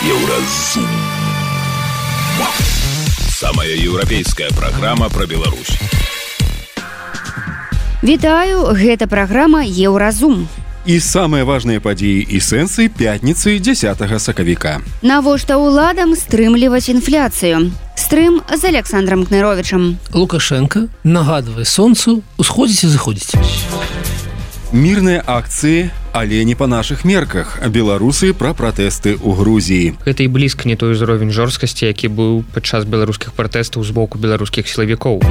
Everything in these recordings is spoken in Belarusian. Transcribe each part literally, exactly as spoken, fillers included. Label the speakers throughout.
Speaker 1: Еўразум. Самая еўрапейская праграма пра Беларусь.
Speaker 2: Вітаю, гэта праграма Еўразум.
Speaker 3: І самыя важныя падзеі і сэнсы пятніцы дзесятага сакавіка.
Speaker 2: Навошта ўладам стрымліваць інфляцыю? Стрым з Александром Кныровичем.
Speaker 4: Лукашенко нагадвае сонцу усходзіць і заходзіць.
Speaker 3: Мірныя акцыі, але не па нашых мерках. Беларусы пра пратэсты ў Грузіі.
Speaker 5: Гэта і блізка не той узровень жорсткасці, які быў падчас беларускіх пратэстаў з боку беларускіх сілавікоў.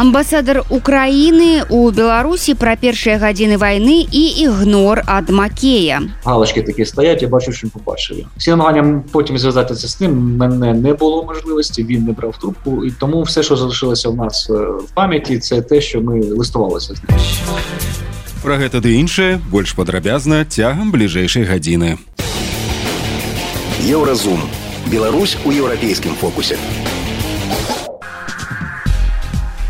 Speaker 2: Амбасадар Украіны ў Беларусі пра першыя гадзіны вайны і ігнор ад Макея.
Speaker 6: Галочки такі стаять, я бачу, що побачив. Всі намаганням потім зв'язатися з ним, мене не було можливості, він не брав трубку, і тому все, що залишилося в нас в пам'яті, це те, що ми листувалися з ним.
Speaker 3: Пра гэта ды іншае больш падрабязна цягам бліжэйшай гадзіны.
Speaker 1: Еўразум. Беларусь у еўрапейскім фокусе.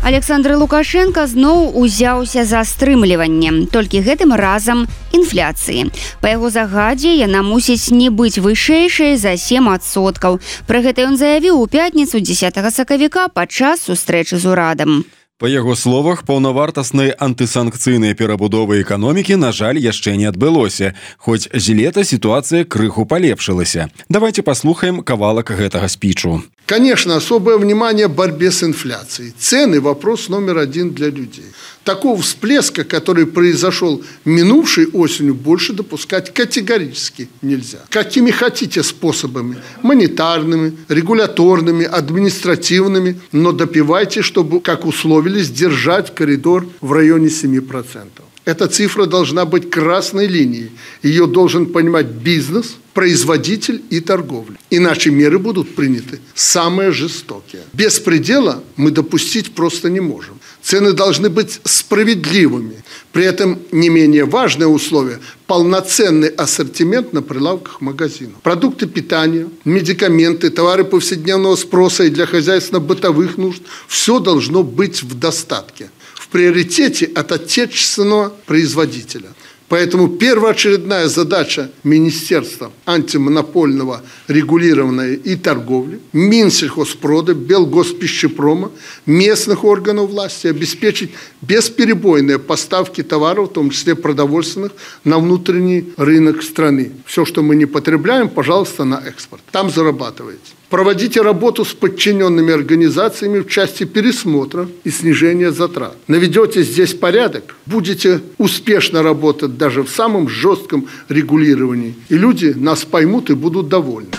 Speaker 2: Александр Лукашенко зноў узяўся за стрымліванне, толькі гэтым разам інфляцыі. Па яго загадзе яна мусіць не быць вышэйшай за сем адсоткаў. Пра гэта ён заявіў у пятніцу дзесятага сакавіка падчас сустрэчы з урадам.
Speaker 3: Па яго словах, паўнавартаснай антысанкцыйнай перабудовы эканомікі, на жаль, яшчэ не адбылося, хоць з лета сітуацыя крыху палепшылася. Давайте паслухаем кавалак гэтага спічу.
Speaker 7: Конечно, особое внимание борьбе с инфляцией. Цены – вопрос номер один для людей. Такого всплеска, который произошел минувшей осенью, больше допускать категорически нельзя. Какими хотите способами – монетарными, регуляторными, административными, но добивайте, чтобы, как условились, держать коридор в районе семи процентов. Эта цифра должна быть красной линией. Ее должен понимать бизнес, производитель и торговля. Иначе меры будут приняты самые жестокие. Беспредела мы допустить просто не можем. Цены должны быть справедливыми. При этом не менее важное условие – полноценный ассортимент на прилавках магазинов. Продукты питания, медикаменты, товары повседневного спроса и для хозяйственно-бытовых нужд – все должно быть в достатке. В приоритете от отечественного производителя. Поэтому первоочередная задача Министерства антимонопольного регулирования и торговли, Минсельхозпрода, Белгоспищепрома, местных органов власти обеспечить бесперебойные поставки товаров, в том числе продовольственных, на внутренний рынок страны. Все, что мы не потребляем, пожалуйста, на экспорт. Там зарабатываете. Проводите работу с подчиненными организациями в части пересмотра и снижения затрат. Наведете здесь порядок, будете успешно работать даже в самом жестком регулировании. И люди нас поймут и будут довольны.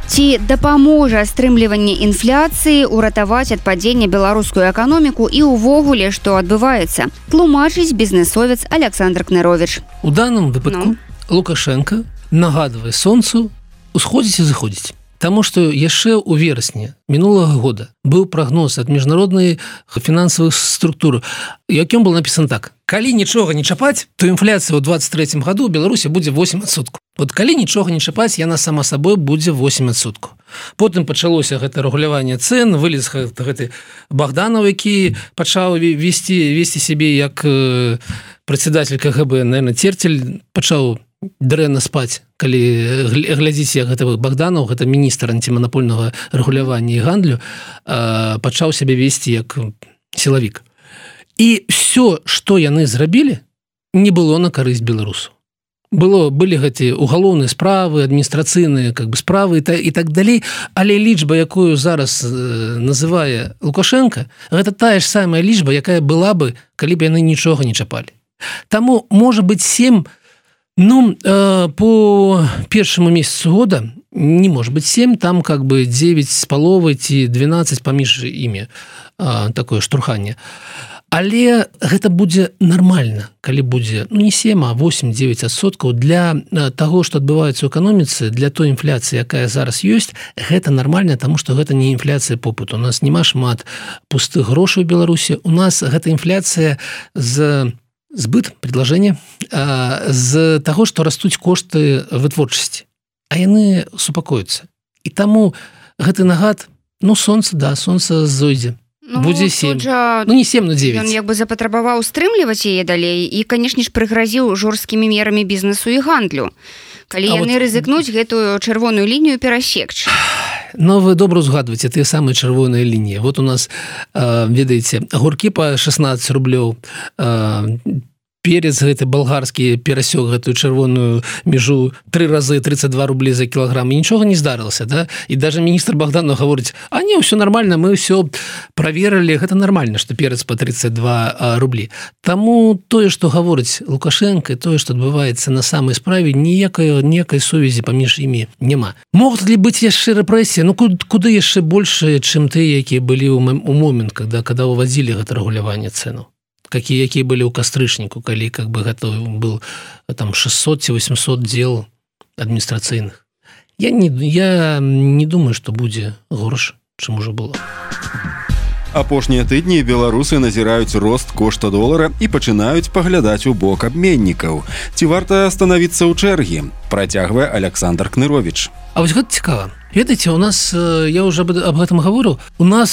Speaker 2: Ці дапаможа стрымліванне інфляцыі ўратаваць ад падзення беларускую эканоміку і ўвогуле, што адбываецца? Тлумачыць бізнесовец Александр Кнырович.
Speaker 4: У данном выпадку ну? Лукашенко нагадвае сонцу усходзіць і заходзіць. Таму што яшчэ ў верасні мінулага года быў прагноз ад міжнароднай фінансавых структур, якім был напісан так: калі нічога не чапаць, то інфляцыя ў двадцать третьем году ў Беларусі будзе восемь адсоткаў. Вот калі нічога не чапаць, яна сама сабой будзе восемь адсоткаў. Потым пачалося гэта рэгуляванне цен, вылез гэты Богданов, які пачаў весці весці сябе як прадседатель ка гэ бэ, наверное, Терцель пачаў дрэнна спаць, калі глядзіць, як гэта Богданов, гэта міністр антимонопольнага рэгулявання і гандлю, пачаў сябе весці як сілавік. І все, што яны зрабілі, не было на карысць беларусу. Было, былі гэты угалоўныя справы, адміністрацыйныя как бы справы і, та, і так далей, але лічба, якую зараз э, называе Лукашенко, гэта тая ж самая лічба, якая была бы, калі б яны нічога не чапалі. Таму, можа быць, сем Ну, э, по першому месяцу года не может быть семь, там как бы девять с половой ці двенадцать паміж імі, э, такое штурханне. Але гэта будзе нармальна, калі будзе, ну не семь, а восемь-девять адсоткаў для таго, што адбываецца ў эканоміцы, для той інфляцыі, якая зараз ёсць, гэта нармальна, таму што гэта не інфляцыя попыту. У нас няма шмат пустых грошай у Беларусі, у нас гэта інфляцыя з збыт, предложение, з таго, што растуць кошты вытворчасці, а яны супакоюцца. І таму гэты нагад, ну сонца, да, сонца зойдзе. Ну, будзе семь. Жа... Ну, не семь, но девять.
Speaker 2: Ён як бы запатрабаваў стрымліваць яе далей і, канешне ж, прыгразіў жорсткімі мерамі бізнесу і гандлю. Калі а яны вот... рызыкнуць гэтую чырвоную лінію перасекчы.
Speaker 4: Но вы добра узгадваеце тыя самыя чырвоныя лініі. Вот у нас, э, ведаеце, агуркі па шестнадцать рублёў, э, перец гэты балгарскі перасёк гэтую чырвоную межу тры разы тридцать два рублі за кілаграм, і нічога не здарылася, да? І даже міністр Богданов гаворыць: а не, ўсё нормально, мы ўсё праверылі, гэта нормально, што перец па тридцать два рублі. Таму тое, што гаворыць Лукашенко, тое, што адбываецца на самай справе, ніякай ніякай сувязі паміж імі няма. Могуць ли быць яшчэ рэпрэсіі? Ну куды, куды яшчэ больше, чым тыя, якія былі ў момент, когда когда увадзілі гэта рэгуляванне цэнаў, какие якія былі ў кастрычніку, калі как бы гэта был там шестьсот ці восемьсот дел адміністрацыйных. Я не, я не думаю, што будзе горш, чым ужо было.
Speaker 3: Апошнія тыдні беларусы назіраюць рост кошта долара і пачынаюць паглядаць у бок абменнікаў. Ці варта станавіцца ў чэргі? Працягвае Александр Кнырович.
Speaker 4: А вось гэта цікава. Ведаеце, у нас, я уже об этом говорю, у нас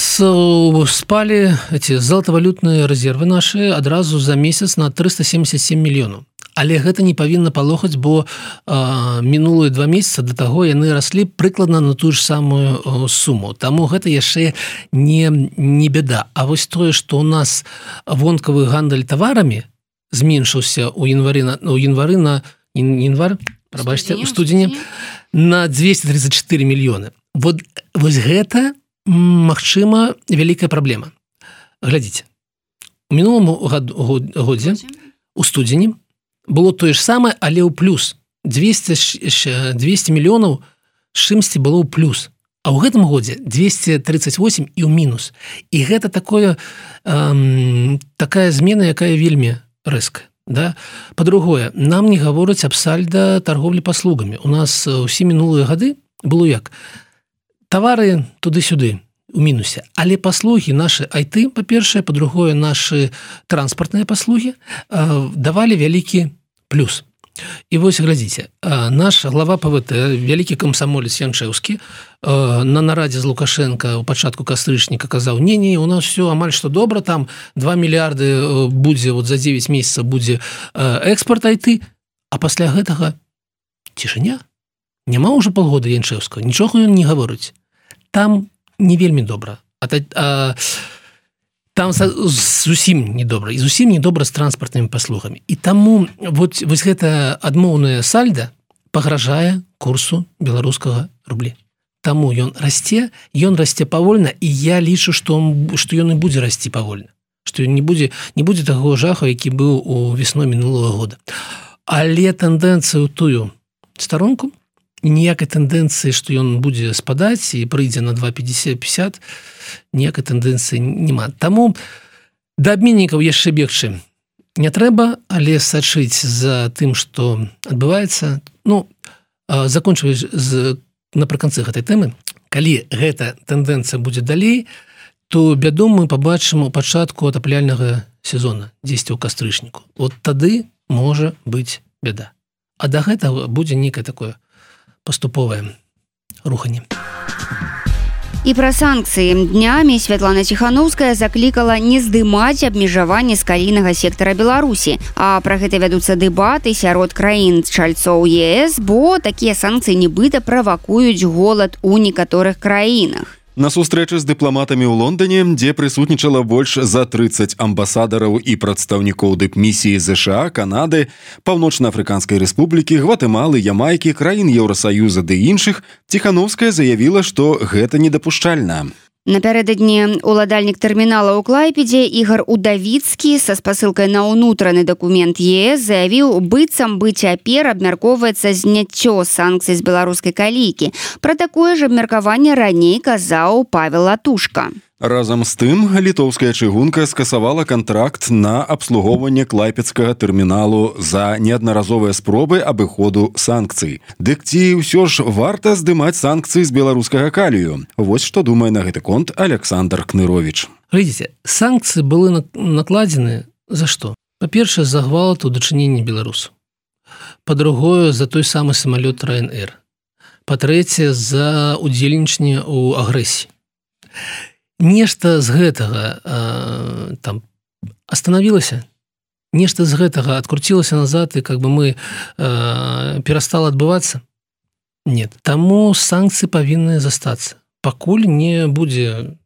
Speaker 4: спали эти золотовалютные резервы наши адразу за месяц на триста семьдесят семь мільёнаў. Але гэта не павінна палохаць, бо э, мінулыя два месяца да таго яны раслі прыкладна на тую ж самую э, суму. Таму гэта яшчэ не, не беда. А вось тое, што у нас вонкавы гандаль таварамі зменшыўся ў январы на, ў январы на январ, прабачце, у студзені на двести тридцать четыре мільёны. Вот, вось гэта, магчыма, вялікая праблема. Глядзіце, у мінулым годзе, у студзені, было тое ж самае, але ў плюс. двести, двести мільёнаў з чымсьці было ў плюс. А ў гэтым годзе двести тридцать восемь і ў мінус. І гэта такое, эм, такая змена, якая вельмі рэзкая. Да? Па-другое, нам не гавораць аб сальда торговлі паслугамі. У нас усе мінулыя гады было як? Тавары туды-сюды, у мінусе. Але паслугі нашы ай ти, па-першае, па-другое, нашы транспартныя паслугі э, давалі вялікі плюс. І вось, глядзіце, наш глава пэ вэ тэ, вялікі камсамолец Янчэўскі, на нарадзе з Лукашенко ў пачатку кастрычніка казаў: не-не, у нас все амаль што добра, там два мільярды будзе, вот за девять месяцаў будзе экспорт ай ти, а пасля гэтага цішыня. Няма ўжо полгода Янчэўскага, нічога ён не гаворыць. Там не вельмі добра. А, а там зусім недобра, і зусім недобра з транспартнымі паслугамі. І таму вот, вось гэта адмоўная сальда пагражае курсу беларускага рублі. Таму ён расце, ён расце павольна, і я лічу, што, што ён і будзе расці павольна. Што не будзе, не будзе таго жаху, які быў у весной мінулого года. Але тэндэнцыя ў тую старонку, ніякай тэндэнцыі, што ён будзе спадаць і прыйдзе на два пятьдесят, ніякай тэндэнцыі няма. Таму да абменнікаў яшчэ бегчы не трэба, але сачыць за тым, што адбываецца. Ну, закончваць з, напрыканцы гэтай тэмы, калі гэта тэндэнцыя будзе далей, то бяду мы пабачым у пачатку атапляльнага сезона, дзесьці ў кастрычніку. Вот тады можа быць бяда. А да гэтага будзе некае такое паступовае руханне.
Speaker 2: І пра санкцыі. Днямі Святлана Ціханаўская заклікала не здымаць абмежаванні з калійнага сектара Беларусі. А пра гэта вядуцца дэбаты сярод краін чальцоў е эс, бо такія санкцыі нібыта правакуюць голад у некаторых краінах.
Speaker 3: На сустрэчы з дыпламатамі ў Лондоне, дзе прысутнічала больш за тридцать амбасадараў і прадстаўнікоў дыпмісіі зэ ша а, Канады, Паўночна-Афрыканскай Рэспублікі, Гватэмалы, Ямайкі, краін Еўрасаюза ды іншых, Ціханаўская заявіла, што гэта недапушчальна.
Speaker 2: Напярэдадні уладальнік тэрмінала ў Клайпедзе Ігар Удавіцкі са спасылкай на ўнутраны дакумент е эс заявіў, быццам бы цяпер абмяркоўваецца зняццё санкцый з беларускай калійкі. Пра такое ж абмеркаванне раней казаў Павел Латушка.
Speaker 3: Разам з тым, літоўская чыгунка скасавала кантракт на абслугоўванне клайпедскага тэрміналу за неаднаразовыя спробы абыходу санкцый. Дык ці ўсё ж варта здымаць санкцыі з беларускага калію? Вось што думае на гэты конт Александр Кнырович.
Speaker 4: Глядзіце, санкцыі былі накладзены за што? Па-першае, за гвалт у дачыненні беларусаў. Па-другое, за той самы самалёт Ryanair. Па-трэцяе, за удзельнічанне ў агрэсіі. Нешта з гэтага э, там остановілася? нешта з гэтага адкруцілася назад і как бы мы э, перастала адбывацца? Нет. Таму санкцыі павінны застацца. Пакуль не будзе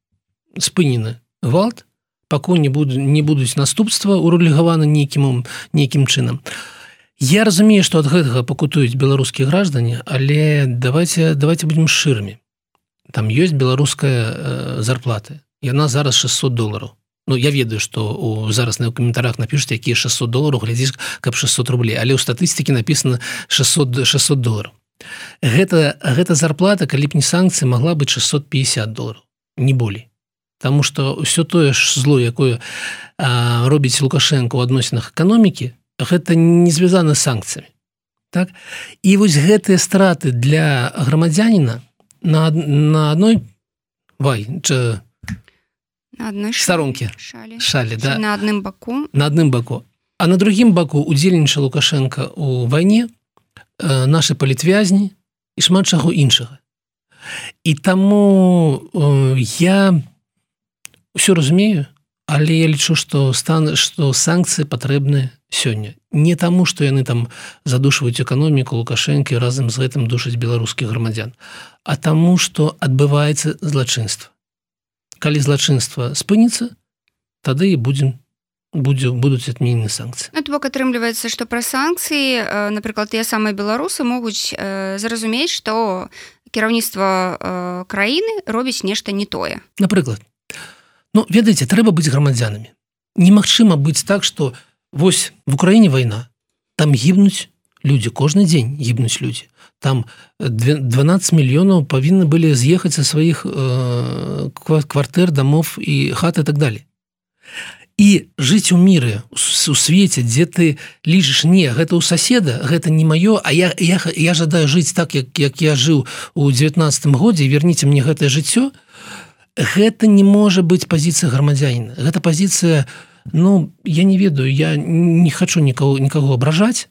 Speaker 4: спынены гвалт, пакуль не, буду, не будуць наступства урэгуляваны нейкім, нейкім чынам. Я разумею, што ад гэтага пакутуюць беларускія граждане, але давайте, давайте будем шчырымі. Там ёсць беларуская э, зарплата. Яна зараз шестьсот долараў. Ну, я ведаю, што у, зараз на каментарах напішуць, якія шестьсот долараў, глядзіш, каб шестьсот рублей, але ў статыстыкі напісана шестьсот, шестьсот долараў. Гэта, гэта зарплата, калі б не санкцыі, магла быць шестьсот пятьдесят долараў, не болей. Таму што ўсё тое ж зло, якое а, робіць Лукашенко ў адносінах эканомікі, гэта не звязана з санкцыямі. Так? І вось гэтыя страты для грамадзяніна на, на адной вай, ча,
Speaker 2: на адной
Speaker 4: старонке
Speaker 2: шалі,
Speaker 4: шалі да?
Speaker 2: на адным баку.
Speaker 4: На адным баку. А на другім баку удзельнічаў Лукашенко ў вайне, э, нашы палітвязні і шмат чаго іншага. І таму э, я ўсё разумею, але я лічу, што стан, што санкцыі патрэбны сёння. Не таму, што яны там задушваюць эканоміку Лукашэнкі разам з гэтым душаць беларускіх грамадзян, а таму, што адбываецца злачынства. Калі злачынства спыніцца, тады і будзем будзе, будуць адменены санкцыі.
Speaker 2: Ну, то бок атрымліваецца, што пра санкцыі, напрыклад, тыя самыя беларусы могуць э, зразумець, што кіраўніцтва э, краіны робіць нешта не тое.
Speaker 4: Напрыклад, ну, ведаеце, трэба быць грамадзянамі. Немагчыма быць так, што вось в Украіне вайна, там гібнуць людзі, кожны дзень гібнуць людзі. Там дванаццаць мільёнаў павінны былі з'ехаць са сваіх э, квартэр, дамов і хат і так далее. І жыць у міры, у свеце, дзе ты лічыш, не, гэта ў суседа, гэта не маё, а я, я, я жадаю жыць так, як, як я жыў у дзевятнаццатым годзе, і верніце мне гэтае жыццё, гэта не можа быць пазіцыя грамадзяніна. Гэта пазіцыя, ну, я не ведаю, я не хачу нікого, нікого абражаць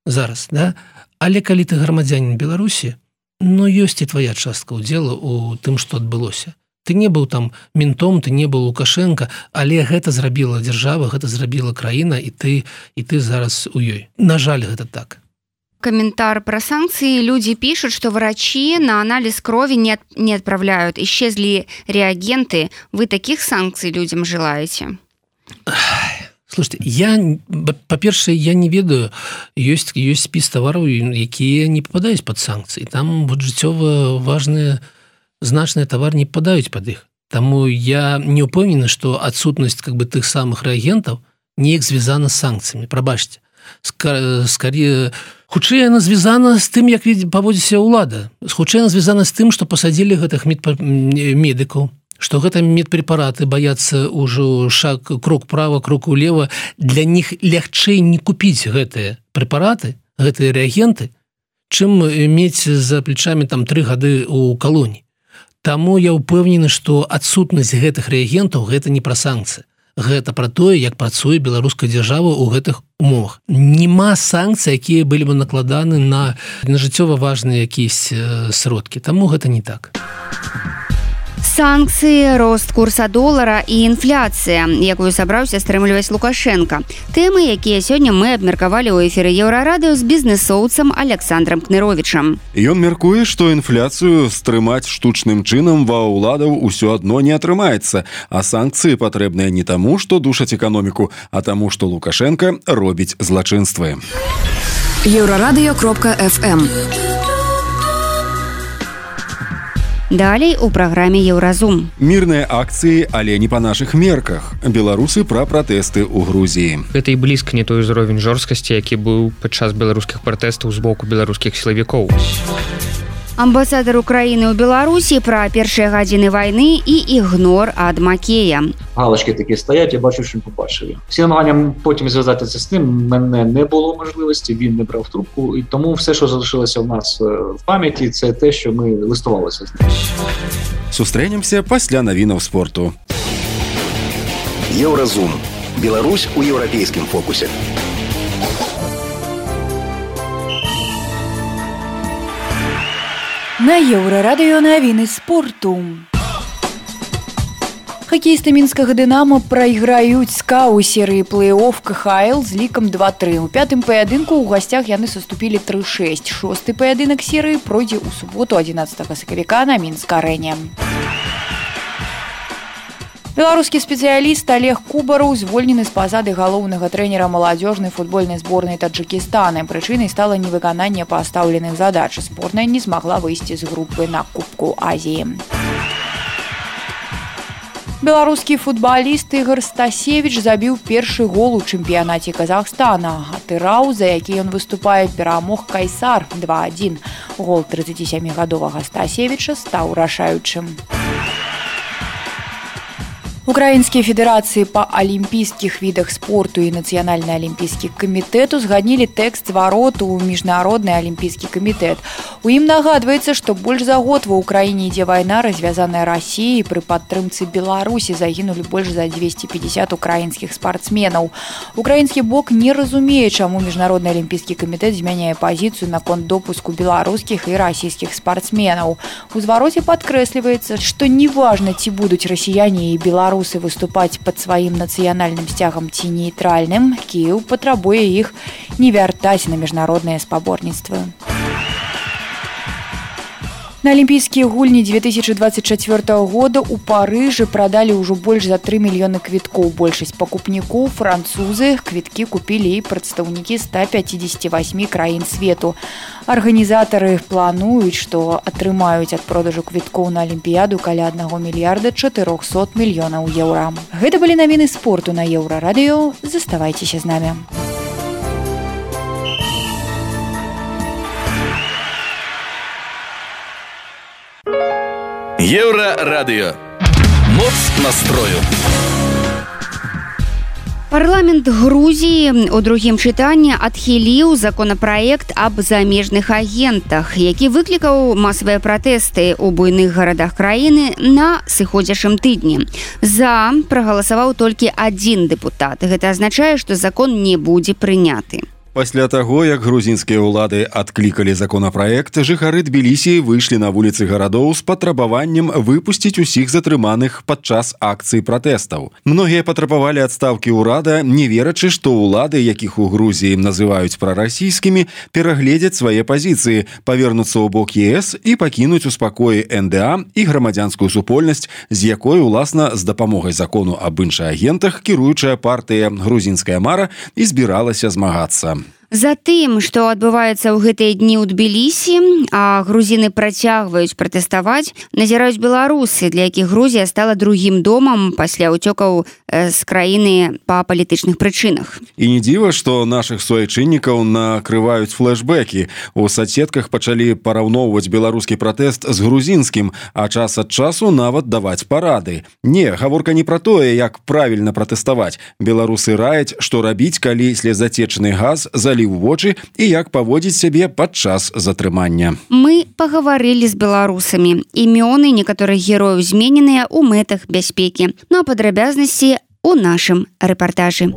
Speaker 4: зараз, да? Але калі ты грамадзянін Беларусі, ну, ёсць і твая частка ўдзела ў тым, што адбылося. Ты не быў там ментом, ты не быў Лукашенко, але гэта зрабіла дзяржава, гэта зрабіла краіна, і ты, і ты зараз у ёй. На жаль, гэта так.
Speaker 2: Комментар про санкции. Люди пишут, что врачи на анализ крови не, от, не отправляют. Исчезли реагенты. Вы таких санкций людям желаете?
Speaker 4: Слушайте, я, по-першае, я не ведаю, ёсць, ёсць спіс тавараў, якія не попадаюць под санкцыі. Там вот жыццёва важныя, значныя тавары не попадаюць под іх. Таму я не упэўнены, што адсутнасць как бы тых самых рэагентаў неяк звязана з санкцыямі. Прабачце. Скорее, хутчэй яна звязана з тым, як паводзіцца ўлада. Хутчэй яна звязана з тым, што пасадзілі гэтых медыкаў, што гэта медпрепараты баяцца ўжо шаг, крок права, крок улева. Для них лягчэй не купіць гэтыя прэпараты, гэтыя рэагенты, чым мець за плечамі там тры гады ў калоні. Таму я ўпэўнены, што адсутнасць гэтых рэагентаў гэта не пра санкцыі. Гэта пра тое, як працуе беларуская дзяржава ў гэтых умовах. Нема санкцый, якія былі бы накладаны на, на жыццёва важныя якісь сродкі. Таму гэта не так.
Speaker 2: Санкцыі, рост курса долара і інфляцыя, якую сабраўся стрымліваць Лукашенко. Тэмы, якія сёння мы абмеркавалі ў эфіры Еўрарадыё з бізнэсоўцам Александром Кныровічам.
Speaker 3: Ён мяркуе, што інфляцыю стрымаць штучным чынам ва ўладаў усё адно не атрымаецца, а санкцыі патрэбныя не таму, што душаць эканоміку, а таму, што Лукашенко робіць злачынствы.
Speaker 8: еўрарадыё кропка эф эм.
Speaker 2: Далей у праграме Еўразум.
Speaker 3: Мірныя акцыі, але не па нашых мерках. Беларусы пра пратэсты ў Грузіі.
Speaker 5: Гэта і блізка не той узровень жорсткасці, які быў падчас беларускіх пратэстаў з боку беларускіх сілавікоў.
Speaker 2: Амбасадар Украіны ў Беларусі пра першыя гадзіны вайны і ігнор ад Макея.
Speaker 6: Галочки такі стаять, я бачу, що він побачив. Всі намаганням потім зв'язатися з ним, мене не було можливості, він не брав трубку, і тому все, що залишилося в нас в пам'яті, це те, що ми листувалися з ним.
Speaker 3: Сустрэнемся пасля навінаў спорту.
Speaker 1: Еўразум. Беларусь у еўрапейскім фокусе.
Speaker 8: На Еўрарадыё навіны спорту.
Speaker 9: Хакеісты мінскага «Дынамо» прайграюць СКА ў серыі плэй-офф ка ха эл з лікам два тры. У пятым паядынку ў гасцях яны саступілі тры шэсць. Шосты паядынак серыі пройдзе ў суботу адзінаццатага сакавіка на Мінск-арэне. Беларускі спецыяліст Олег Кубараў звольнены з пасады галоўнага трэнера маладзёжнай футбольнай зборнай Таджыкістана. Прычынай стала невыкананне пастаўленых задач. Зборная не змагла выйсці з групы на Кубку Азіі. Беларускі футбаліст Ігор Стасевіч забіў першы гол у чэмпіянаце Казахстана. Атырау, за які ён выступае, перамог Кайсар два адзін. Гол трыццацісямігадовага Стасевіча стаў рашаючым. Украінскія федэрацыі па алімпійскіх відах спорту і Нацыянальны алімпійскі камітэт узгаднілі тэкст звароту ў міжнародны алімпійскі камітэт. У ім нагадваецца, што больш за год ва ўкраіне ідзе вайна, развязаная Расіяй. Пры падтрымцы Беларусі загінулі больш за дзвесце пятьдесят украінскіх спартсменаў. Украінскі бок не разумее, чаму міжнародны алімпійскі камітэт змяняе пазіцыю наконт допуску беларускіх і расійскіх спартсменаў. У звароце падкрэсліваецца, што неважна, ці будуць расіяне і беларусы выступаць пад сваім нацыянальным сцягам ці нейтральным, Кіеў патрабуе іх не вяртаць на міжнародныя спаборніцтвы. На алімпійскія гульні две тысячи двадцать чацвёртага года ў Парыжы прадалі ўжо больш за тры мільёны квіткоў. Большасць пакупнікоў французы. Квіткі купілі і прадстаўнікі ста пяцідзесяці васьмі краін свету. Арганізатары плануюць, што атрымаюць ад продажу квіткоў на алімпіяду каля аднаго мільярда чатырохсот мільёнаў еўра. Гэта былі навіны спорту на Еўрарадыё. Заставайцеся з намі.
Speaker 10: Еўрарадыё. Моц настрою.
Speaker 2: Парламент Грузіі у другім чытанні адхіліў законапраект аб замежных агентах, які выклікаў масавыя пратэсты ў буйных гарадах краіны на сыходзячым тыдні. За прагаласаваў толькі адзін дэпутат. Гэта азначае, што закон не будзе прыняты.
Speaker 3: Пасля таго, як грузінскія ўлады адклікалі законапраект, жыхары Тбілісі выйшлі на вуліцы гарадоў з патрабаваннем выпусціць усіх затрыманых падчас акцый пратэстаў. Многія патрабавалі адстаўкі ўрада, не верачы, што ўлады, якіх у Грузіі называюць прарасійскімі, перагледзяць свае пазіцыі, павернуцца ў бок е эс і пакінуць у спакоі эн дэ а і грамадзянскую супольнасць, з якой, уласна, з дапамогай закону аб іншаагентах кіруючая партыя «Грузінская мара» і збіралася змагацца.
Speaker 2: Затым, што адбываецца ў гэтыя дні ў Тбілісі, а грузіны працягваюць пратэставаць, назіраюць беларусы, для якіх Грузія стала другім домам пасля ўцёкаў з краіны па палітычных прычынах.
Speaker 3: І не дзіва, што нашых суайчыннікаў накрываюць флэшбэкі. У соцсетках пачалі параўноўваць беларускі пратэст з грузінскім, а час ад часу нават даваць парады. Не, гаворка не пра тое, як правільна пратэставаць. Беларусы раяць, што рабіць, калі слезатечны газ заліў у вочы і як паводзіць сябе падчас затрымання.
Speaker 2: Мы пагаварылі з беларусамі. Імёны некаторых герояў змененыя ў мэтах бяспекі. Ну а падрабязнасці у нашым рэпартажы.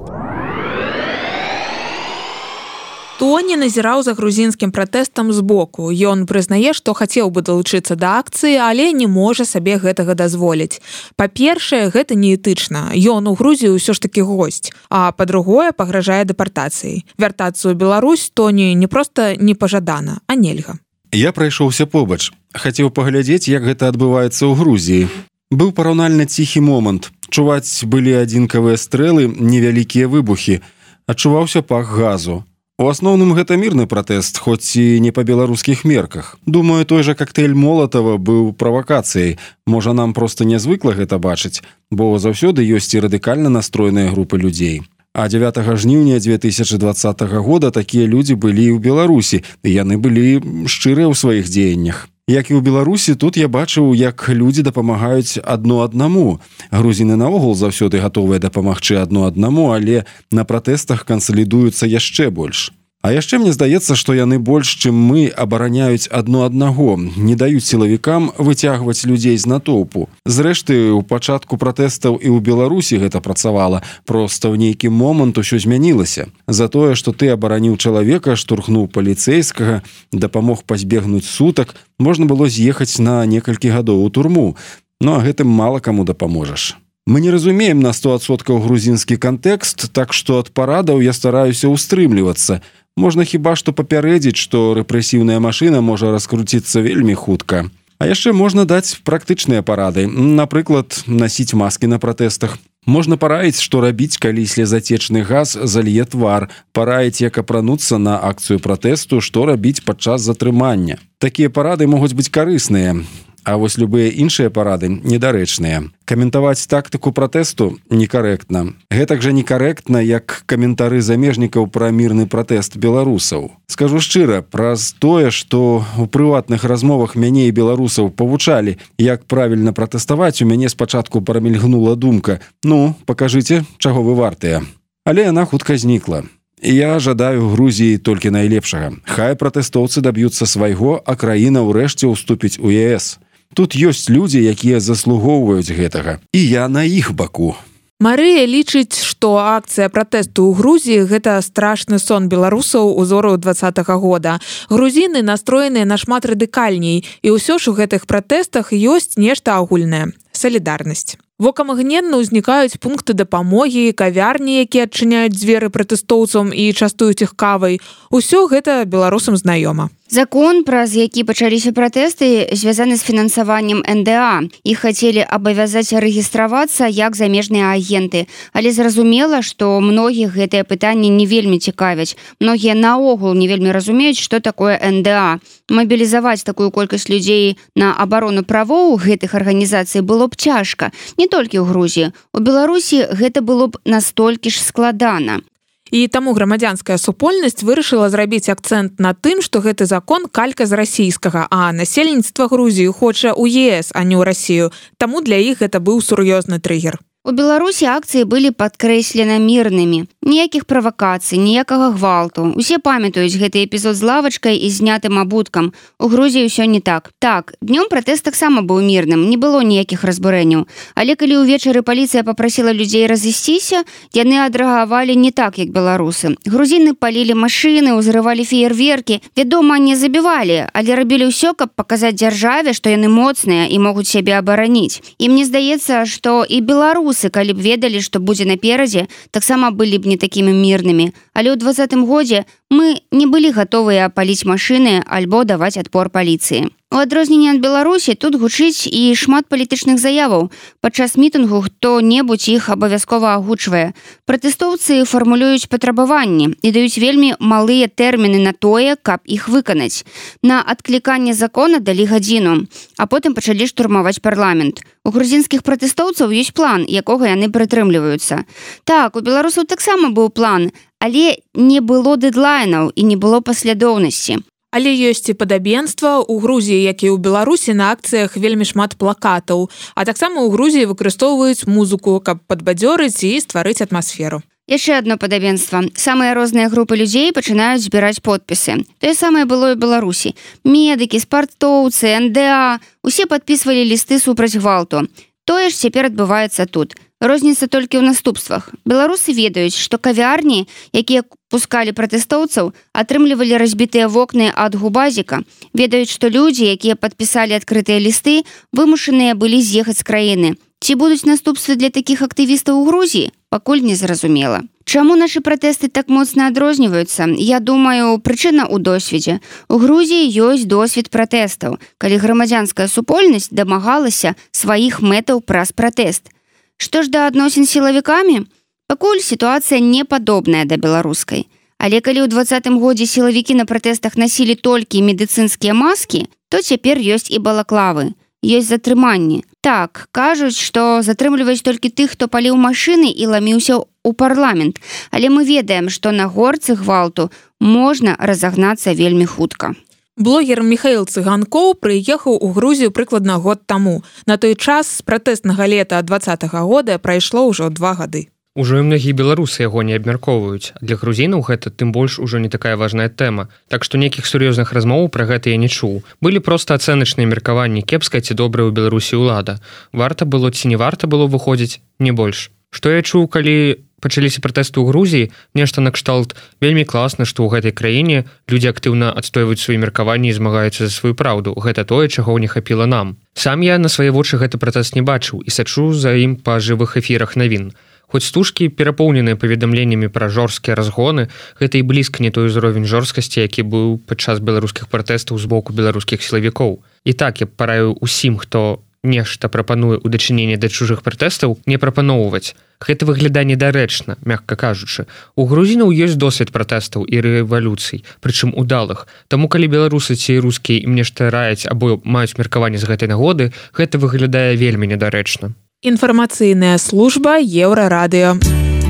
Speaker 11: Тоні назіраў за грузінскім пратэстам збоку. Ён прызнае, што хацеў бы далучыцца да акцыі, але не можа сабе гэтага дазволіць. Па-першае, гэта неэтычна. Ён у Грузію ўсё ж такі госць. А па-другое, пагражае дэпартацыяй. Вяртацца ў Беларусь Тоні не проста не пажадана, а нельга.
Speaker 3: Я прайшоўся побач. Хацеў паглядзець, як гэта адбываецца ў Грузіі. Быў параўнальна ціхі момант. Чуваць былі адзінкавыя стрэлы, невялікія выбухі. Адчуваўся пах газу. У асноўным гэта мірны пратэст, хоць і не па беларускіх мерках. Думаю, той жа коктейль Молотова быў правакацыяй. Можа, нам проста нязвыкла гэта бачыць, бо заўсёды ёсць і радыкальна настроеныя групы людзей. А дзевятага жніўня две тысячи двадцатага года такія людзі былі ў Беларусі, і яны былі шчырыя ў сваіх дзеяннях. Як і ў Беларусі, тут я бачыў, як людзі дапамагаюць адно аднаму. Грузіны наогул заўсёды гатовыя дапамагчы адно аднаму, але на пратэстах кансалідуюцца яшчэ больш. А яшчэ мне здаецца, што яны больш, чым мы, абараняюць адно аднаго, не даюць сілавікам выцягваць людзей з натоўпу. Зрэшты, у пачатку пратэстаў і ў Беларусі гэта працавала, проста ў нейкі момант усё змянілася. За тое, што ты абараніў чалавека, штурхнуў паліцэйскага, дапамог пазбегнуць сутак, можна было з'ехаць на некалькі гадоў у турму. Ну а гэтым мала каму дапаможаш. Мы не разумеем на сто адсоткаў грузінскі кантэкст, так што ад парадаў я стараюся ўстрымлівацца. Можна хіба што папярэдзіць, што рэпрэсіўная машына можа раскруціцца вельмі хутка. А яшчэ можна даць практычныя парады. Напрыклад, насіць маскі на пратэстах. Можна параіць, што рабіць, калі слезацечны газ залье твар. Параіць, як апрануцца на акцыю пратэсту, што рабіць падчас затрымання. Такія парады могуць быць карысныя. А вось любыя іншыя парады недарэчныя. Каментаваць тактыку пратэсту некарэктна. Гэтак жа некарэктна, як каментары замежнікаў пра мірны пратэст беларусаў. Скажу шчыра, праз тое, што ў прыватных размовах мяне і беларусаў павучалі, як правільна пратэставаць, у мяне спачатку прамільгнула думка: «Ну, пакажыце, чаго вы вартыя». Але яна хутка знікла. Я жадаю Грузіі толькі найлепшага. Хай пратэстоўцы даб'юцца свайго, а краіна ўрэшце ўступіць у е эс. Тут ёсць людзі, якія заслугоўваюць гэтага. І я на іх баку.
Speaker 11: Марыя лічыць, што акцыя пратэсту ў Грузіі – гэта страшны сон беларусаў узору двадцатага года. Грузіны настроеныя нашмат радыкальней, і ўсё ж у гэтых пратэстах ёсць нешта агульнае – салідарнасць. Вокамагненна ўзнікаюць пункты дапамогі, кавярні, якія адчыняюць дзверы пратэстоўцам і частуюць іх кавай. Усё гэта беларусам знаёма.
Speaker 2: Закон, праз які пачаліся пратэсты, звязаны з фінансаваннем эн дэ а. Іх хацелі абавязаць рэгістравацца як замежныя агенты. Але зразумела, што многіх гэтыя пытанні не вельмі цікавяць. Многія наогул не вельмі разумеюць, што такое эн дэ а. Мабілізаваць такую колькасць людзей на абарону правоў гэтых арганізацый было б цяжка. Не толькі ў Грузіі. У Беларусі гэта было б настолькі ж складана.
Speaker 11: І таму грамадзянская супольнасць вырашыла зрабіць акцэнт на тым, што гэты закон калька з расійскага, а насельніцтва Грузіі хоча ў е эс, а не ў Расію. Таму для іх гэта быў сур'ёзны трыгер.
Speaker 2: У Беларусі акцыі былі падкрэслена мірнымі. Ніякіх правакацый, ніякага гвалту. Усе памятаюць гэты эпізод з лавачкай і знятым абуткам. У Грузіі ўсё не так. Так, днём пратэст таксама быў мірным, не было ніякіх разбурэнняў. Але калі ўвечары паліцыя папрасіла людзей разысціся, яны адрэагавалі не так, як беларусы. Грузіны палілі машыны, узрывалі феерверкі. Вядома, не забівалі, але рабілі ўсё, каб паказаць дзяржаве, што яны моцныя і могуць сябе абараніць. І мне здаецца, што і беларусы, калі б ведалі, што будзе наперадзе, таксама былі б не такімі мірнымі. Але ў двадцатым годзе мы не былі гатовыя паліць машыны альбо даваць адпор паліцыі. У адрозненне ад Беларусі тут гучыць і шмат палітычных заяваў. Падчас мітынгу хто-небудзь іх абавязкова агучвае. Пратэстоўцы фармулююць патрабаванні і даюць вельмі малыя тэрміны на тое, каб іх выканаць. На адкліканне закона далі гадзіну, а потым пачалі штурмаваць парламент. У грузінскіх пратэстоўцаў ёсць план, якога яны прытрымліваюцца. Так, у беларусаў таксама быў план, але не было дэдлайнаў і не было паслядоўнасці.
Speaker 11: Але ёсць і падабенства. У Грузіі, як і ў Беларусі, на акцыях вельмі шмат плакатаў. А таксама ў Грузіі выкарыстоўваюць музыку, каб падбадзёрыць і стварыць атмасферу.
Speaker 2: Яшчэ адно падабенства. Самыя розныя групы людзей пачынаюць збіраць подпісы. Тое самае было і ў Беларусі. Медыкі, спартоўцы, эн дэ а – усе падпісвалі лісты супраць гвалту. Тое ж цяпер адбываецца тут. Розніца толькі ў наступствах. Беларусы ведаюць, што кавярні, якія пускалі пратэстоўцаў, атрымлівалі разбітыя вокны ад губазіка. Ведаюць, што людзі, якія падпісалі адкрытыя лісты, вымушаныя былі з'ехаць з краіны. Ці будуць наступствы для такіх актывістаў у Грузіі? Пакуль не зразумела. Чаму нашы пратэсты так моцна адрозніваюцца? Я думаю, прычына ў досведзе. У Грузіі ёсць досвед пратэстаў, калі грамадзянская супольнасць дамагалася сваіх мэтаў праз пратэст. Што ж да адносін з сілавікамі? Пакуль сітуацыя не падобная да беларускай. Але калі ў двадцатым годзе сілавікі на пратэстах насілі толькі медыцынскія маскі, то цяпер ёсць і балаклавы. Ёсць затрыманні. Так, кажуць, што затрымліваюць толькі тых, хто паліў машыны і ламіўся ў парламент. Але мы ведаем, што на горцы гвалту можна разагнацца вельмі хутка.
Speaker 11: Блогер Міхаіл Цыганкоў прыехаў у Грузію прыкладна год таму. На той час з пратэснага лета двадцатага года прайшло ўжо два гады.
Speaker 5: Ужо і многія беларусы яго не абмяркоўваюць. Для грузінаў гэта тым больш ужо не такая важная тэма. Так што нейкіх сур'ёзных размоў пра гэта я не чуў. Былі проста ацэначныя меркаванні, кепская ці добрая ў Беларусі ўлада. Варта было ці не варта было выходзіць, не больш. Што я чуў, калі пачаліся пратэсты ў Грузіі, нешта накшталт вельмі класна, што ў гэтай краіне людзі актыўна адстойваюць свае меркаванні і змагаюцца за сваю праўду. Гэта тое, чаго не хапіла нам. Сам я на свае вочы гэты пратэст не бачыў і сачу за ім па жывых эфірах навін. Хоць стужкі, перапоўненыя паведамленнямі пра жорсткія разгоны, гэта і блізка не той узровень жорсткасці, які быў падчас беларускіх пратэстаў з боку беларускіх сілавікоў. І так я параю усім, хто нешта прапануе ў дачыненні да чужых пратэстаў, не прапаноўваць. Гэта выглядае недарэчна, мякка кажучы. У грузінаў ёсць досвед пратэстаў і рэвалюцый, прычым удалых. Таму калі беларусы ці рускія ім нешта раяць або маюць меркаванне з гэтай нагоды, гэта выглядае вельмі недарэчна.
Speaker 11: Інфармацыйная служба Еўрарадыё.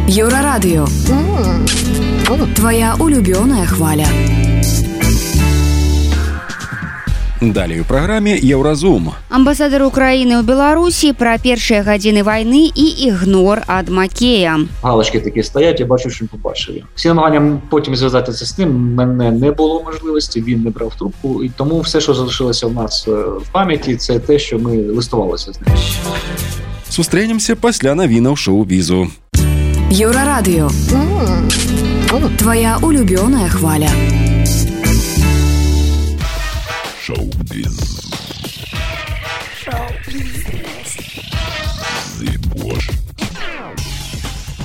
Speaker 8: Еўрарадыё. Твоя улюбёная хваля.
Speaker 3: Далей у праграме Еўразум.
Speaker 2: Амбасадар Украіны ў Беларусі пра першыя гадзіны вайны і ігнор ад Макея.
Speaker 6: Галочки такі стаять, я бачу, що побачив. Всі намагання потім зв'язатися з ним, мене не було можливості, він не брав трубку. І тому все, що залишилося в нас в пам'яті, це те, що ми листувалися з ним.
Speaker 3: Сустрэнемся пасля навінаў шоу-бізу.
Speaker 8: Еўрарадыё. Твоя улюбёная хваля.
Speaker 12: Шоу-біз.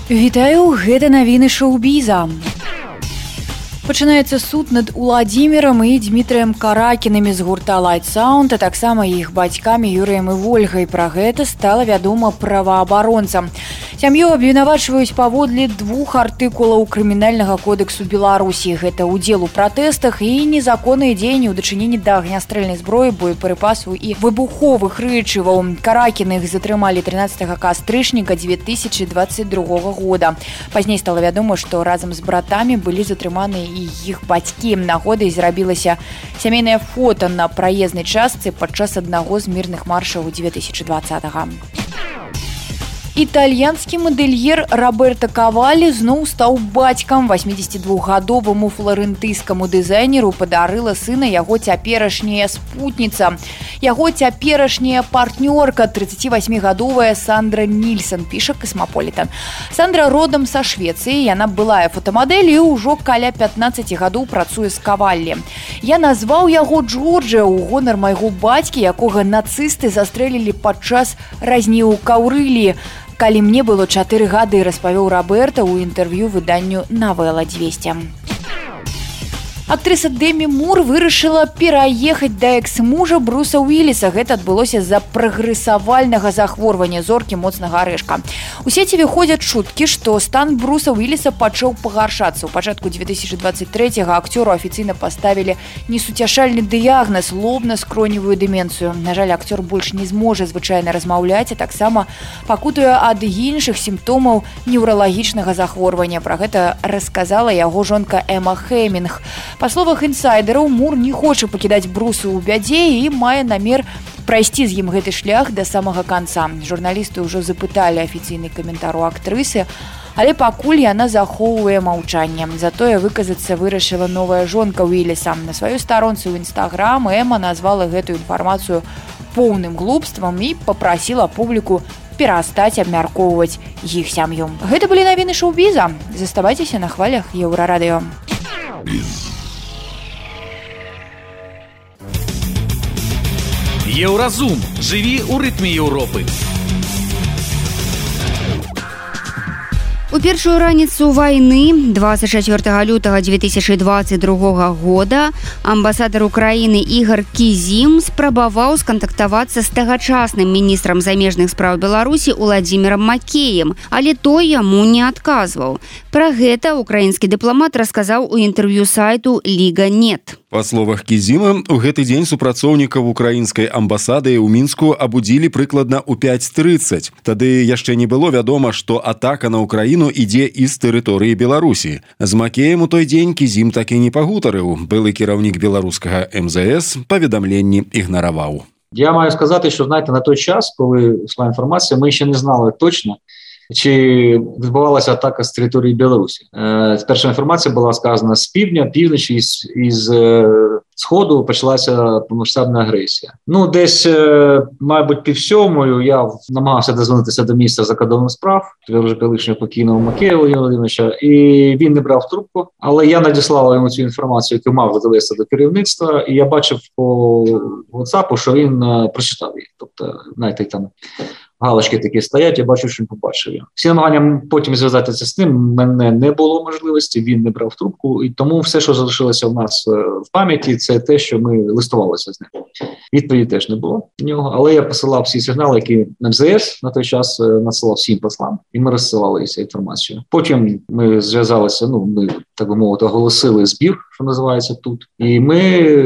Speaker 9: Вітаю, гэта навіны шоу-біза. Пачынаецца суд над Уладзімірам і Дмітрыем Каракінамі з гурта Light Sound, а таксама іх бацькамі Юрыем і Вольгай. Пра гэта стала вядома праваабаронцам. Сям'ю абвінавачваюць паводле двух артыкулаў крымінальнага кодэксу Беларусі. Гэта ўдзел у пратэстах і незаконныя дзеянні ў дачыненні да агнястрэльнай зброі, боепрыпасаў і выбуховых рэчываў. Каракіных затрымалі трынаццатага кастрычніка дзве тысячы дваццаць другога года. Пазней стала вядома, што разам з братамі былі затрыманы і іх бацькі. Нагодай зрабілася сямейнае фота на праезнай частцы падчас аднаго з мірных маршаў дзве тысячы дваццатага. Італьянскі мадэльер Роберто Кавалі зноў стаў бацькам. Васьмідзесятидвухгадоваму фларэнтыйскаму дызайнеру падарыла сына яго цяперашняя спутніца. Яго цяперашняя партнёрка, трыццацівасьмігадовая Сандра Нільсон, піша Касмаполітан. Сандра родам са Швецыі, яна былая фотамадэль і ўжо каля пятнаццаці гадоў працуе з Каваллі. Я назваў яго Джорджа ў гонар майго бацькі, якога нацысты застрэлілі падчас разні ў Каўрылі. Калі мне было чатыры гады, распавёў Роберта ў інтэрв'ю выданню «Навела двести». Актрыса Дэмі Мур вырашыла пераехаць да экс-мужа Бруса Уіліса. Гэта адбылося з-за прагрэсавальнага захворвання зоркі моцнага арэшка. У сеціве ходзяць чуткі, што стан Бруса Уіліса пачаў пагаршацца. У пачатку дзве тысячы дваццаць трэцяга акцёру афіцыйна паставілі несуцяшальны дыягназ – лобна-скроневую дэмэнцыю. На жаль, акцёр больш не зможа звычайна размаўляць, а таксама пакутуе ад іншых сімптомаў неўралагічнага захворвання. Пра гэта расказала яго жонка Эма Хэмінг. Па словах інсайдераў, Мур не хоча пакідаць Бруса ў бядзе і мае намер прайсці з ім гэты шлях да самага канца. Журналісты ўжо запыталі афіцыйны каментар у актрысы, але пакуль яна захоўвае маўчанне. Затое выказацца вырашыла новая жонка Уіліса. На сваёй старонцы ў Інстаграм Эма назвала гэтую інфармацыю поўным глупствам і папрасіла публіку перастаць абмяркоўваць іх сям'ю. Гэта былі навіны шоу-біза. Заставайцеся на хвалях Еўрарадыё.
Speaker 10: Еўразум. Жыві ў рытме Еўропы.
Speaker 2: У першую раніцу вайны двадцать чацвёртага лютага дзве тысячы двадцать другога года амбасадар Украіны Ігор Кізім спрабаваў скантактавацца з тагачасным міністрам замежных спраў Беларусі Уладзімірам Макеем, але той яму не адказваў. Пра гэта украінскі дыпламат расказаў у інтэрв'ю сайту Ліга Нет.
Speaker 3: Па словах Кізіма, у гэты дзень супрацоўнікаў украінскай амбасады ў Мінску абудзілі прыкладна ў пяць трыццаць. Тады яшчэ не было вядома, што атака на Украіну ідзе і з тэрыторыі Беларусі. З Макеем у той дзень Кізім так і не пагутарыў. Былы кіраўнік беларускага эм зэ эс паведамленні ігнараваў.
Speaker 6: Я маю сказати, що, знаєте, на той час, коли йшла інформація, ми ще не знали точно, чи відбувалася атака з території Білорусі. Перша інформація була сказана з півдня, півночі, із, із сходу почалася повномасштабна агресія. Ну, десь, мабуть, пів сьомою я намагався дозвонитися до міністра закордонних справ, вже колишнього покійного Макеєва Володимира Володимировича, і він не брав трубку, але я надіслав йому цю інформацію, яку мав довести до керівництва, і я бачив по WhatsApp, що він прочитав її. Тобто, знаєте, там галочки такі стоять, я бачу, що він побачив. Всі намагання потім зв'язатися з ним, в мене не було можливості, він не брав трубку, і тому все, що залишилося в нас в пам'яті, це те, що ми листувалися з ним. Відповіді теж не було в нього, але я посилав всі сигнали, які ем зе ес на той час надсилав всім послам, і ми розсилали цю інформацію. Потім ми зв'язалися, ну, ми, так би мовити, оголосили збір, що називається тут, і ми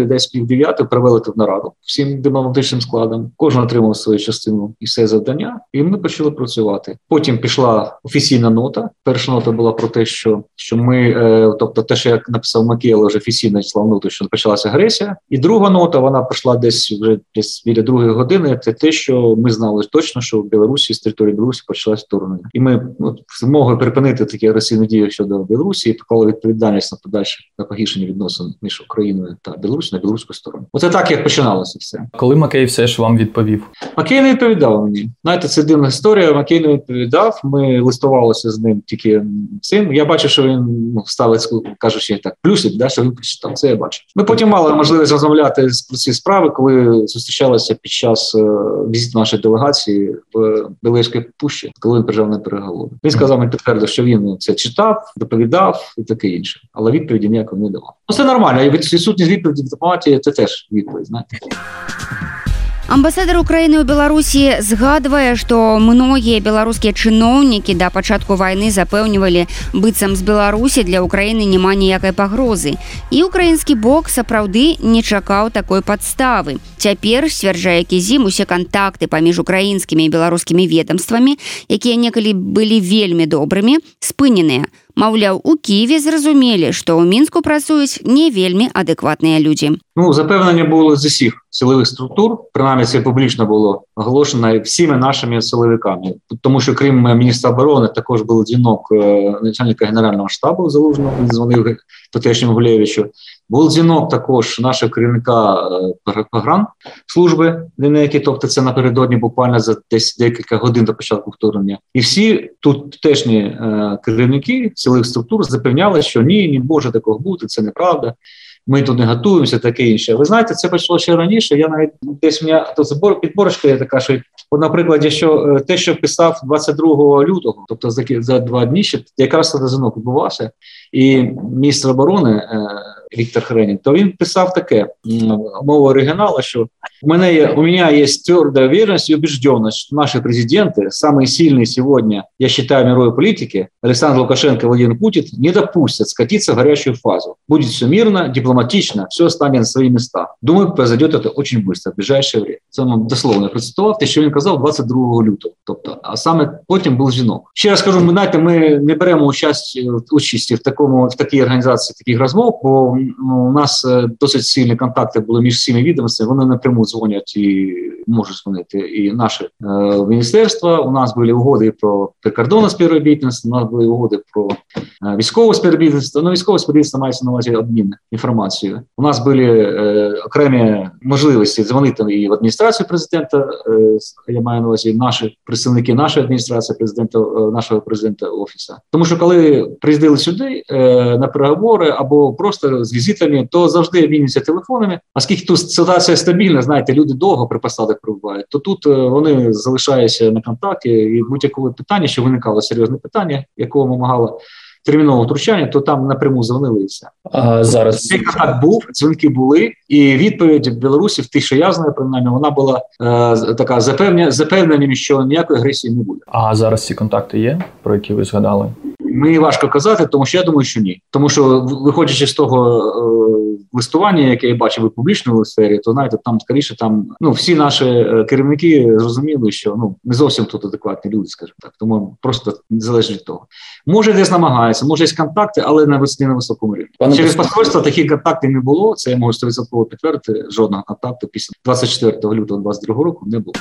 Speaker 6: десь пів дев'ятої провели тут нараду всім дипломатичним складом. Кожен отримав свою частину і все завдання, і ми почали працювати. Потім пішла офіційна нота. Перша нота була про те, що, що ми, е, тобто те, що я написав Макеєва, вже офіційно слав ноту, що почалася агресія. І друга нота, вона прийшла десь вже десь біля другої години, це те, що ми знали точно, що в Білорусі, з території Білорусі почалось вторгнення. І ми ну, змогли припинити такі агресивні дії щодо Білорусі і поклали відповідальність на подальше, на погіршення відносин між Україною та Білорусі на білоруську сторону. Оце так, як починалося все.
Speaker 13: Коли Макей все ж вам відповів?
Speaker 6: Макей не відповідав мені. Знаєте, це дивна історія. Макей не відповідав. Ми листувалися з ним тільки цим. Я бачив, що він ну, ставить, кажучи так, плюсик, да, що він прочитав. Це я бачив. Ми потім мали можливість розмовляти про ці справи, коли зустрічалися під час е, візиту нашої делегації в Білоруській пущі, коли він приїжджав на переговори. Він сказав, він підтвердив, що він це читав, доповідав і таке інше. Але відповіді ніякої не давав. Ну, це нормально. І відсутність відповіді в дипломатії – це теж відповідь, знаєте.
Speaker 2: Амбасадар Украіны ў Беларусі згадвае, што многія беларускія чыноўнікі да пачатку вайны запэўнівалі, быццам з Беларусі для Украіны няма ніякай пагрозы. І украінскі бок сапраўды не чакаў такой падставы. Цяпер, сцвярджае Кізім, усе кантакты паміж украінскімі і беларускімі ведамствамі, якія некалі былі вельмі добрымі, спыненыя. Маўляў, у Києві зразумелі, што ў Мінску працуюць не вельмі адэкватныя людзі.
Speaker 6: Ну, запевнення було з усіх силових структур, принаймні це публічно було оголошено всіми нашими силовиками. Тому що крім міністра оборони також був дзвінок начальника Генерального штабу Залужного, він дзвонив тутешньому Гулєвичу. Був дзвінок також нашого керівника погранслужби, тобто це напередодні буквально за десь декілька годин до початку вторгнення. І всі тут тутешні е, керівники силових структур запевняли, що ні, не може такого бути, це неправда. Ми тут не готуємося, таке інше. Ви знаєте, це почало ще раніше. Я навіть десь у мене тут підборочка є така, що, от, наприклад, якщо те, що писав двадцять другого лютого, тобто за, за два дні, ще якраз тоді дзвінок відбувався, і міністр оборони е, Віктор Хренін, то він писав таке, мова оригіналу, що у мене є, у мене є твердая уверенность и убежденность, что наши президенты, самые сильные сегодня, я считаю, мировой политики, Александр Лукашенко и Владимир Путин, не допустят скатиться в горячую фазу. Будет все мирно, дипломатично, все станет на свои места. Думаю, произойдет это очень быстро, в ближайшее время. Це вам дословно процитував те, що він казав двадцять другого лютого. Тобто, а саме потім був дзвінок. Ще раз кажу, ми, знаєте, ми не беремо участь, участі в, такому, в такій організації таких розмов, бо ну, у нас досить сильні контакти були між всіми відомствами, вони напряму дзвонять і можуть дзвонити і наші е, міністерства. У нас були угоди про прикордонне співробітництво, у нас були угоди про е, військове співробітництво. Ну, військове співробітництво мається на увазі обмін інформацією. У нас були е, окремі можливості дзвонити і в адміністрацію президента, е, я маю на увазі наші представники нашої адміністрації, президента, е, нашого президента офісу. Тому що коли приїздили сюди е, на переговори або просто з візитами, то завжди обмінюються телефонами. Оскільки тут ситуація стабільна, знаєте, люди довго при посадах перебувають, то тут вони залишаються на контакті, і будь-якого питання, що виникало серйозне питання, якого вимагало термінового втручання, то там напряму дзвонили і все.
Speaker 13: А зараз
Speaker 6: цей контакт був, дзвінки були, і відповідь в Білорусі, в тих, що я знаю, принаймні, вона була е, така запевнення, запевненням, що ніякої агресії не буде.
Speaker 13: А зараз ці контакти є, про які ви згадали?
Speaker 6: Мені важко казати, тому що я думаю, що ні. Тому що, виходячи з того е, листування, яке я бачив у публічному сфері, то, знаєте, там, скоріше, там, ну, всі наші керівники зрозуміли, що, ну, не зовсім тут адекватні люди, скажімо так. Тому просто залежить від того. Може, десь намагається, може, є контакти, але на, не на високому рівні. Пане Через посольство таких контактів не було, це я можу сто відсотків підтвердити, жодного контакту після двадцять четвертого лютого двадцять другого року не було.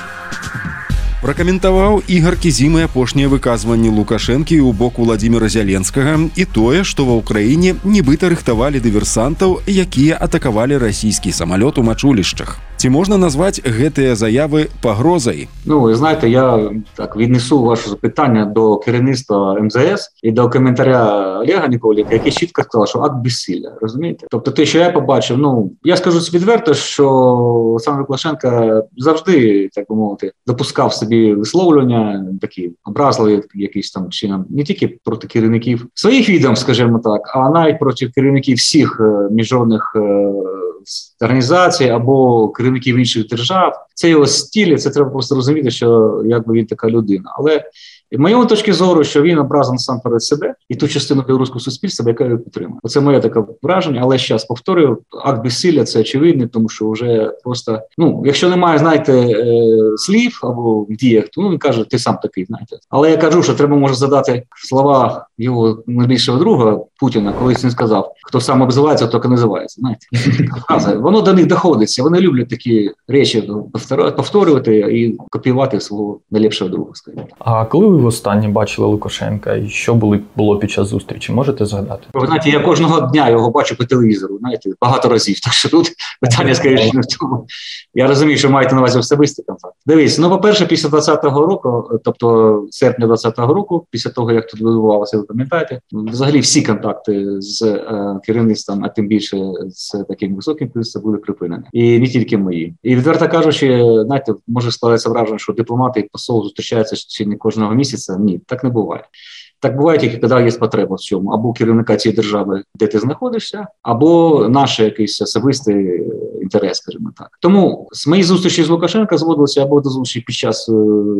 Speaker 3: Пракаментаваў Ігар Кізім апошнія выказванні Лукашэнкі ў бок Владзіміра Зяленскага і тое, што ва ўкраіне нібыта рыхтавалі дыверсантаў, якія атакавалі расійскі самалёт у мачулішчах. Ці можна назваць гэтыя заявы пагрозай?
Speaker 6: Ну, ви знаєте, я так віднесу ваше запитання до керівництва ем зе ес і до коментаря Олега Ніколіка, який чітко сказав, що акт безсилля, розумієте? Тобто те, що я побачив, ну, я скажу відверто, що Олександр Лукашенко завжди, так би мовити, допускав собі висловлювання, такі образливі якісь там чином, не тільки проти керівників своїх відомств, скажімо так, а навіть проти керівників всіх міжнародних організацій або керівників інших держав. Це його стиль, це треба просто розуміти, що якби він така людина. Але в моєму точці зору, що він образив насамперед себе і ту частину білоруського суспільства, яка його підтримує. Оце моє таке враження, але ще раз повторюю, акт безсилля – це очевидний, тому що вже просто, ну, якщо немає, знаєте, е, слів або в діях, то ну, він каже, ти сам такий, знаєте. Але я кажу, що треба може задати слова його найбільшого друга Путіна, колись він сказав, хто сам обзивається, то і називається, знаєте. Воно до них доходиться, вони люблять такі речі повторювати і копіювати свого найліпшого друга, скажімо.
Speaker 13: А коли ви востаннє бачили Лукашенка і що були, було під час зустрічі, можете згадати?
Speaker 6: Ви знаєте, я кожного дня його бачу по телевізору, знаєте, багато разів, так що тут питання, скоріше, не в тому. Я розумію, що маєте на увазі особистий контакт. Дивіться, ну, по-перше, після двадцятого року, тобто серпня двадцятого року, після того, як тут відбувалося, ви пам'ятаєте, взагалі всі контакти з е, керівництвом, а тим більше з таким високим керівництвом, були припинені. І не тільки мої. І відверто кажучи, знаєте, може складається враження, що дипломати і посол зустрічаються чи не кожного місяця. Ні, так не буває. Так буває тільки, коли є потреба в цьому. Або керівника цієї держави, де ти знаходишся, або наш якийсь особистий інтерес, скажімо так. Тому з моїх зустрічей з Лукашенка зводилися або до зустрічі під час е,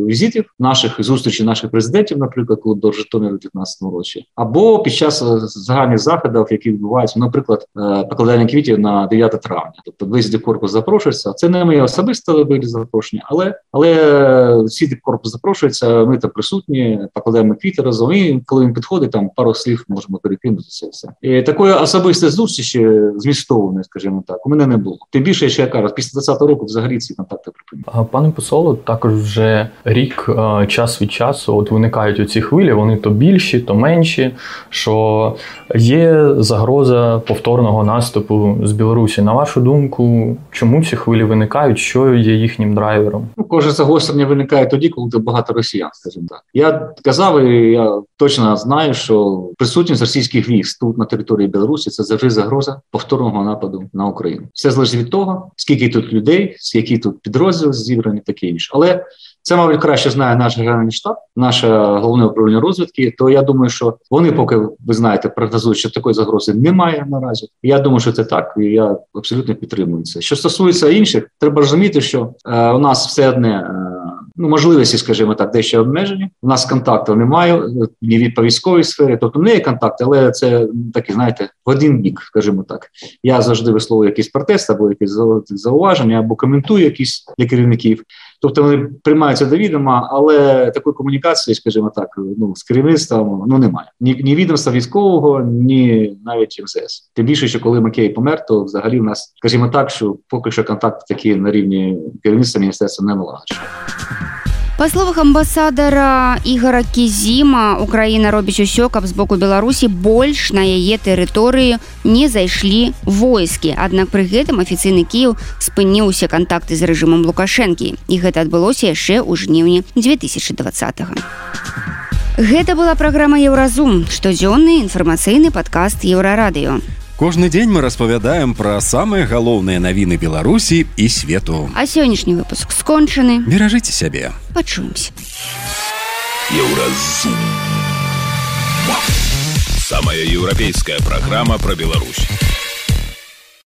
Speaker 6: візитів, наших зустрічей наших президентів, наприклад, коли до Житомира у дев'ятнадцятому році, або під час загальних заходів, які відбуваються, наприклад, е, покладання квітів на дев'яте травня. Тобто весь дипкорпус запрошується. Це не моє особисте були запрошення, але, але всі дипкорпус запрошуються, ми там присутні, покладаємо квіти разом, і коли він підходить, там пару слів можемо перекинутися. Все. І такої особистої зустрічі, змістовної, скажімо так, у мене не було. Тим більше, що я кажу, після двадцятого року взагалі ці контакти припинили.
Speaker 13: Пане посолу, також вже рік, час від часу, от виникають оці хвилі, вони то більші, то менші, що є загроза повторного наступу з Білорусі. На вашу думку, чому ці хвилі виникають, що є їхнім драйвером?
Speaker 6: Ну, кожне загострення виникає тоді, коли тут багато росіян, скажімо так. Я казав, і я точно знаю, що присутність російських військ тут на території Білорусі – це завжди загроза повторного нападу на Україну. Все залежить від того, скільки тут людей, скільки тут підрозділів зібрані, таке інше. Але це, мабуть, краще знає наш Генеральний штаб, наше головне управління розвідки, то я думаю, що вони поки, ви знаєте, прогнозують, що такої загрози немає наразі. Я думаю, що це так, і я абсолютно підтримую це. Що стосується інших, треба розуміти, що е, у нас все одне, е, ну, можливості, скажімо так, дещо обмежені. У нас контактів немає, ні від по військовій сфері, тобто не є контакти, але це такі, знаєте, в один бік, скажімо так. Я завжди висловлюю якийсь протест або якісь зауваження, або коментую якісь для керівників. Тобто вони приймаються до відома, але такої комунікації, скажімо так, ну, з керівництвом, ну, немає. Ні, ні відомства військового, ні навіть ем зе ес. Тим більше, що коли Макей помер, то взагалі в нас, скажімо так, що поки що контакти такі на рівні керівництва міністерства не налагоджені.
Speaker 2: Па словах амбасадара Ігора Кізіма, Украіна робіць усё, каб з боку Беларусі больш на яе тэрыторыю не зайшлі войскі. Аднак пры гэтым афіцыйны Кіеў спыніў усе кантакты з рэжымам Лукашэнкі. І гэта адбылося яшчэ ў жніўні дзве тысячы двадцатага. Гэта была праграма «Еўразум», штодзённы інфармацыйны падкаст Еўрарадыё.
Speaker 3: Кожны дзень мы распавядаем пра самыя галоўныя навіны Беларусі і свету.
Speaker 2: А сённяшні выпуск скончаны.
Speaker 3: Беражыце сябе.
Speaker 2: Пачуемся.
Speaker 12: Еўразум. Самая еўрапейская праграма пра Беларусь.